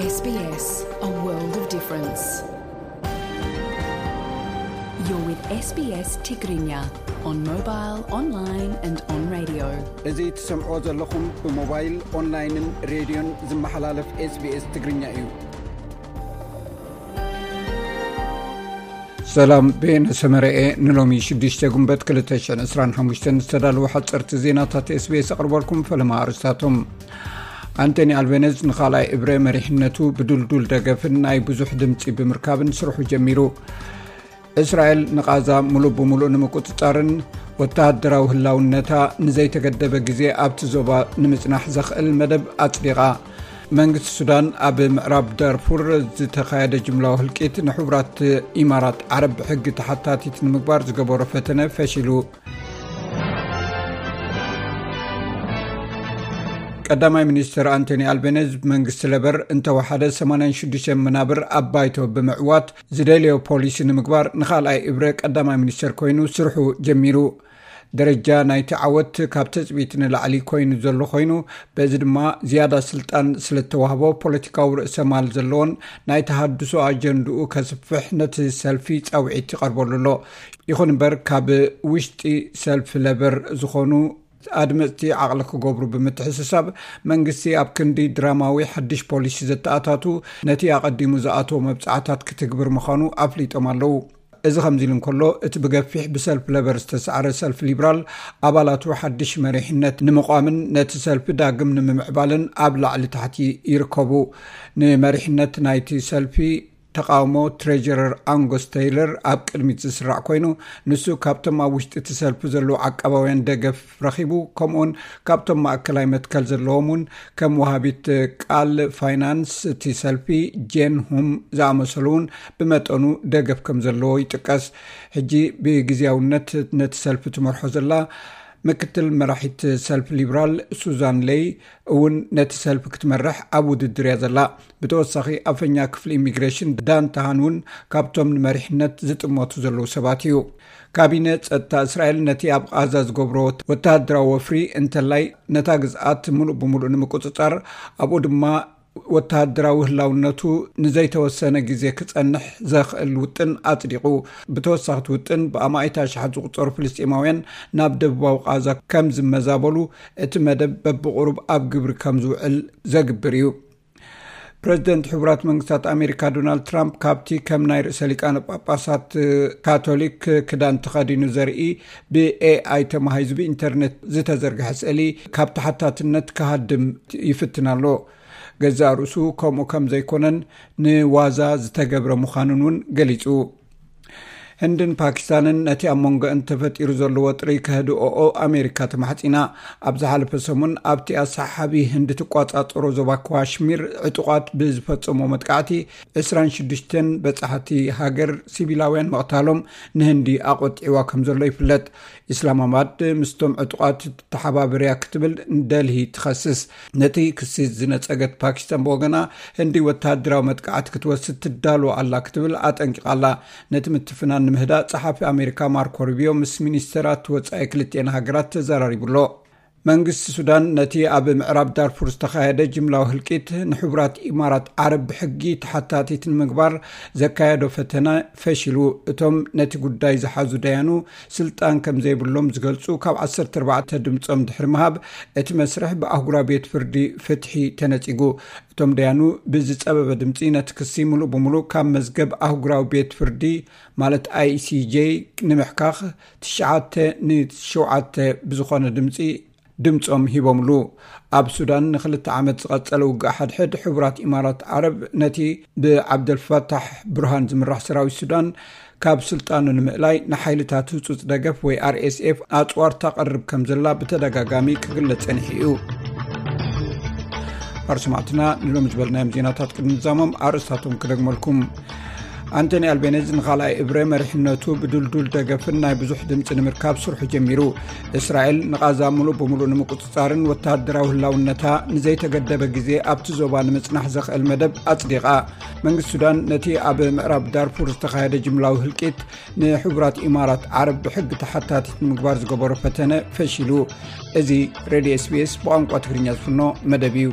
S B S, a world of difference. You're with S B S Tigrinya on mobile, online and on radio. እዚ ትሰምዕዎ ዘለኹም ብሞባይል፣ ኦንላይንን ሬድዮን ዝመሓላለፍ S B S ትግርኛ እዩ። ሰላም፣ ቤነ ሰመረኤ ንሎሚ ሽዱሽተ ጉንበት ክልተ ሽሕን ዕስራን ሓሙሽተን ዝተዳለዉ ሓፀርቲ ዜናታት S B S ኣቕርበልኩም። ፈለማ ኣርእስታቶም። ኣንቶኒ ኣልቤነዝ ንኻልኣይ እብረ መሪሕነቱ ብድልዱል ደገፍን ናይ ብዙሕ ድምፂ ብምርካብን ስርሑ ጀሚሩ። እስራኤል ንቓዛ ሙሉእ ብሙሉእ ንምቁፅፃርን ወተሃደራዊ ህላውነታ ንዘይተገደበ ግዜ ኣብቲ ዞባ ንምፅናሕ ዘኽእል መደብ ኣፅዲቓ። መንግስቲ ሱዳን ኣብ ምዕራብ ዳርፉር ዝተኻየደ ጅምላዊ ህልቂት ንሕቡራት ኢማራት ዓረብ ብሕጊ ተሓታቲት ንምግባር ዝገበሮ ፈተነ ፈሺሉ። ቀዳማይ ሚኒስትር ኣንቶኒ ኣልቤነዝ መንግስቲ ለበር እንተወሓደ ሰማንያን ሽዱሽተን መናብር ኣብ ባይቶ ብምዕዋት ዝደልዮ ፖሊሲ ንምግባር ንኻልኣይ እብረ ቀዳማይ ሚኒስትር ኮይኑ ስርሑ ጀሚሩ። ደረጃ ናይቲ ዓወት ካብ ትጽቢት ንላዕሊ ኮይኑ ዘሎ ኮይኑ፣ በዚ ድማ ዝያዳ ስልጣን ስለተዋህቦ ፖለቲካዊ ርእሰ ማል ዘለዎን ናይ ተሃድሶ ኣጀንድኡ ከስፍሕ ነቲ ሰልፊ ጻውዒት ይቐርበሉ ኣሎ። ይኹን እምበር ካብ ውሽጢ ሰልፊ ለበር ዝኾኑ ኣድመፅቲ ዓቕሊ ክገብሩ ብምትሕስሳብ መንግስቲ ኣብ ክንዲ ድራማዊ ሓድሽ ፖሊሲ ዘተኣታቱ ነቲ ኣቐዲሙ ዝኣተዎ መብፃዕታት ክትግብር ምዃኑ ኣፍሊጦም ኣለዉ። እዚ ከምዚ ኢሉ እንከሎ፣ እቲ ብገፊሕ ብሰልፊ ለበር ዝተሰዓረ ሰልፊ ሊብራል ኣባላቱ ሓድሽ መሪሕነት ንምቋምን ነቲ ሰልፊ ዳግም ንምምዕባልን ኣብ ላዕሊ ታሕቲ ይርከቡ። ንመሪሕነት ናይቲ ሰልፊ ተቃውሞ ትሬጀረር ኣንጎስ ተይለር ኣብ ቅድሚት ዝስራዕ ኮይኑ፣ ንሱ ካብቶም ኣብ ውሽጢ እቲ ሰልፊ ዘለዉ ዓቃባውያን ደገፍ ረኺቡ፣ ከምኡውን ካብቶም ማእከላይ መትከል ዘለዎም እውን ከም ወሃቢት ቃል ፋይናንስ እቲ ሰልፊ ጄን ሁም ዝኣመሰሉ እውን ብመጠኑ ደገፍ ከም ዘለዎ ይጥቀስ። ሕጂ ብግዜያውነት ነቲ ሰልፊ ትመርሖ ዘላ ምክትል መራሒት ሰልፊ ሊብራል ሱዛን ሌይ እውን ነቲ ሰልፊ ክትመርሕ ኣብ ውድድር እያ ዘላ። ብተወሳኺ ኣፈኛ ክፍሊ ኢሚግሬሽን ዳን ተሃን እውን ካብቶም ንመሪሕነት ዝጥመቱ ዘለዉ ሰባት እዩ። ካቢነ ጸጥታ እስራኤል ነቲ ኣብ ቓዛ ዝገብሮ ወተሃደራዊ ወፍሪ እንተላይ ነታ ግዝኣት ምሉእ ብምሉእ ንምቁጽጻር፣ ኣብኡ ድማ ወተሃደራዊ ህላውነቱ ንዘይተወሰነ ግዜ ክጸንሕ ዘኽእል ውጥን ኣጽዲቑ። ብተወሳኺ እቲ ውጥን ብኣማኢት ኣሽሓት ዝቑጸሩ ፍልስጤማውያን ናብ ደቡባዊ ቓዛ ከም ዝመዛበሉ እቲ መደብ በብቑሩብ ኣብ ግብሪ ከም ዝውዕል ዘግብር እዩ። ፕረዚደንት ሕቡራት መንግስታት ኣሜሪካ ዶናልድ ትራምፕ ካብቲ ከም ናይ ርእሰ ሊቃነ ጳጳሳት ካቶሊክ ክዳን ተኸዲኑ ዘርኢ ብኤኣይ ተማሂዙ ብኢንተርኔት ዝተዘርግሐ ስእሊ ካብ ተሓታትነት ክሃድም ይፍትን ኣሎ። ገዛእ ርእሱ ከምኡ ከም ዘይኮነን ንዋዛ ዝተገብረ ምዃኑን እውን ገሊጹ። ህንድን ፓኪስታንን ነቲ ኣብ መንጎአን ተፈጢሩ ዘሎ ወጥሪ ከህድኦኦ ኣሜሪካ ተማሕጺና። ኣብ ዝሓለፈ ሰሙን ኣብቲ ኣሰሓሓቢ ህንዲ ትቋጻጸሮ ዞባ ካሽሚር ዕጡቓት ብዝፈጸሞ መጥቃዕቲ ዕስራን ሽዱሽተን በጻሕቲ ሃገር ሲቪላውያን ምቕታሎም ንህንዲ ኣቖጢዕዋ ከም ዘሎ ይፍለጥ። ኢስላማባድ ምስቶም ዕጡቓት ተሓባበርያ ክትብል ንደልሂ ትኸስስ። ነቲ ክሲ ዝነጸገት ፓኪስታን ብወገና፣ ህንዲ ወተሃደራዊ መጥቃዕቲ ክትወስድ ትዳሎ ኣላ ክትብል ኣጠንቂቓ ኣላ። ነቲ ምትፍናን ንምህዳእ ጸሓፊ ኣሜሪካ ማርኮ ሩቢዮ ምስ ሚኒስተራት ወጻኢ ክልቲኤን ሃገራት ተዘራሪቡ ኣሎ። መንግስቲ ሱዳን ነቲ ኣብ ምዕራብ ዳርፉር ዝተኻየደ ጅምላዊ ህልቂት ንሕቡራት ኢማራት ዓረብ ብሕጊ ተሓታቲት ንምግባር ዘካየዶ ፈተነ ፈሺሉ። እቶም ነቲ ጉዳይ ዝሓዙ ደያኑ ስልጣን ከም ዘይብሎም ዝገልጹ ካብ ዓሰርተ ኣርባዕተ ድምጾም ድሕሪ ምሃብ፣ እቲ መስርሕ ብኣህጉራዊ ቤት ፍርዲ ፍትሒ ተነጺጉ። እቶም ደያኑ ብዝጸበበ ድምጺ ነቲ ክሲ ምሉእ ብምሉእ ካብ መዝገብ ኣህጉራዊ ቤት ፍርዲ ማለት I C J ንምሕካኽ ትሽዓተ ንሸውዓተ ብዝኾነ ድምጺ ድምጾም ሂቦምሉ። ኣብ ሱዳን ንክልተ ዓመት ዝቐጸለ ውግእ ሓድሕድ ሕቡራት ኢማራት ዓረብ ነቲ ብዓብደልፋታሕ ብርሃን ዝምራሕ ሰራዊት ሱዳን ካብ ስልጣኑ ንምእላይ ንሓይልታት ህጹጽ ደገፍ ወይ R S F ኣጽዋር ታቐርብ ከም ዘላ ብተደጋጋሚ ክግለጽ ጸኒሑ እዩ። ኣርሰማዕትና ንሎሚ ዝበልናዮም ዜናታት ቅድሚ ምዛሞም ኣርእስታቶም ክደግመልኩም። ኣንቶኒ ኣልቤነዝ ንኻልኣይ እብረ መሪሕነቱ ብድልዱል ደገፍን ናይ ብዙሕ ድምፂ ንምርካብ ስርሑ ጀሚሩ። እስራኤል ንቓዛ ሙሉእ ብምሉእ ንምቁፅፃርን ወተሃደራዊ ህላውነታ ንዘይተገደበ ግዜ ኣብቲ ዞባ ንምፅናሕ ዘኽእል መደብ ኣፅዲቓ። መንግስቲ ሱዳን ነቲ ኣብ ምዕራብ ዳርፉር ዝተኻየደ ጅምላዊ ህልቂት ንሕቡራት ኢማራት ዓረብ ብሕጊ ተሓታቲት ንምግባር ዝገበሮ ፈተነ ፈሺሉ። እዚ ሬድዮ S B S ብቋንቋ ትግርኛ ዝፍኖ መደብ እዩ።